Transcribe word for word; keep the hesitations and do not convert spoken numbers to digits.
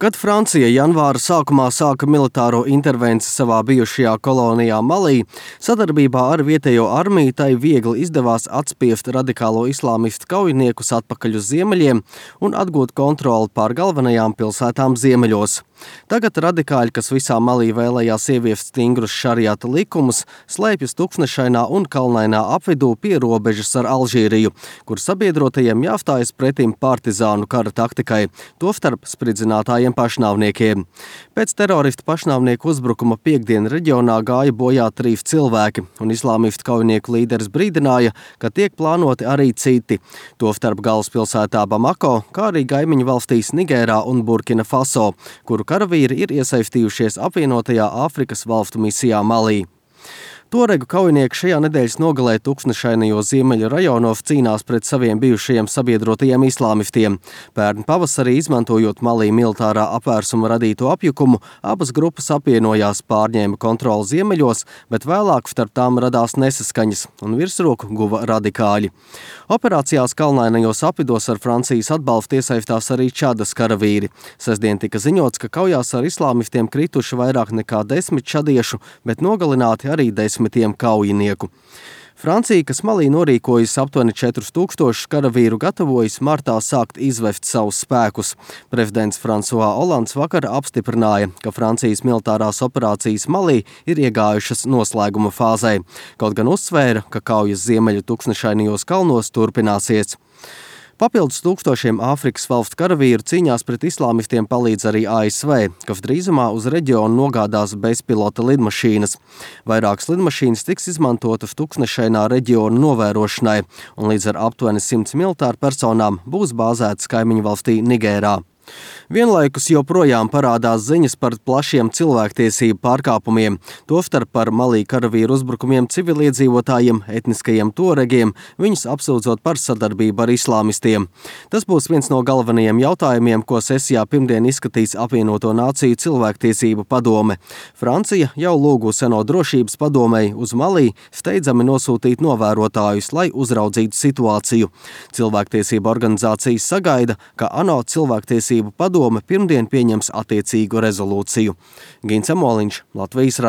Kad Francija janvāra sākumā sāka militāro intervenciju savā bijušajā kolonijā Malī, sadarbībā ar vietējo armiju tai viegli izdevās atspiest radikālo islāmistu kaujiniekus atpakaļ uz ziemeļiem un atgūt kontroli pār galvenajām pilsētām ziemeļos. Tagad radikāļi, kas visā Malī vēlējās ieviest stingrus šariata likumus, slēpjas Tuksnešainā un Kalnainā apvidū pie robežas ar Alžīriju, kur sabiedrotajiem jāstājas pretim partizānu kara taktikai, tostarp spridzinātājiem pašnāvniekiem. Pēc teroristu pašnāvnieku uzbrukuma piekdien reģionā gāja bojā trīs cilvēki, un islāmistu kaujinieku līderis brīdināja, ka tiek plānoti arī citi, tostarp galvaspilsētā Bamako, kā arī kaimiņu valstīs Nigērā un Burkina Faso, kuru karavīri ir iesaistījušies apvienotajā Āfrikas valstu misijā Malī. Tuaregu kaujinieki šajā nedēļas nogalē Tuksnešainajos ziemeļu rajonos cīnās pret saviem bijušajiem sabiedrotajiem islāmistiem. Pērn pavasarī, izmantojot Malī militārā apvērsuma radīto apjukumu, abas grupas apvienojās, pārņēma kontroli ziemeļos, bet vēlāk starp tām radās nesaskaņas un virsroku guva radikāļi. Operācijās Kalnainajos apvidos ar Francijas atbalstu iesaistās arī Čadas karavīri. Sestdien tika ziņots, ka kaujās ar islāmistiem krituši vairāk nekā desmit čadiešu, bet nogalināti arī desmit kaujinieku. Francija, kas Malī norīkojas aptuveni četrus tūkstošus karavīru, gatavojas martā sākt izvest savus spēkus. Prezidents François Hollands vakar apstiprināja, ka Francijas militārās operācijas Malī ir iegājušas noslēguma fāzē, kaut gan uzsvēra, ka kaujas ziemeļu Tuksnešainajos kalnos turpināsies. Papildus tūkstošiem Āfrikas valstu karavīru cīņās pret islāmistiem palīdz arī A S V, kas drīzumā uz reģionu nogādās bezpilota lidmašīnas. Vairākas lidmašīnas tiks izmantotas Tuksnešainā reģionu novērošanai, un līdz ar aptuveni simts militāru personām būs bāzētas kaimiņu valstī Nigērā. Vienlaikus joprojām parādās ziņas par plašiem cilvēktiesību pārkāpumiem, tostarp par Malī karavīru uzbrukumiem civiliedzīvotājiem, etniskajiem tuaregiem, viņus apsūdzot par sadarbību ar islāmistiem. Tas būs viens no galvenajiem jautājumiem, ko sesijā pirmdien izskatīs apvienoto nāciju cilvēktiesību padome. Francija jau lūgusi ANO drošības padomei uz Malī steidzami nosūtīt novērotājus, lai uzraudzītu situāciju. Cilvēktiesība organizācijas sagaida, ka ANO cilvēktiesību padome pirmdien pieņems attiecīgu rezolūciju. Gins Amoliņš, Latvijas radio.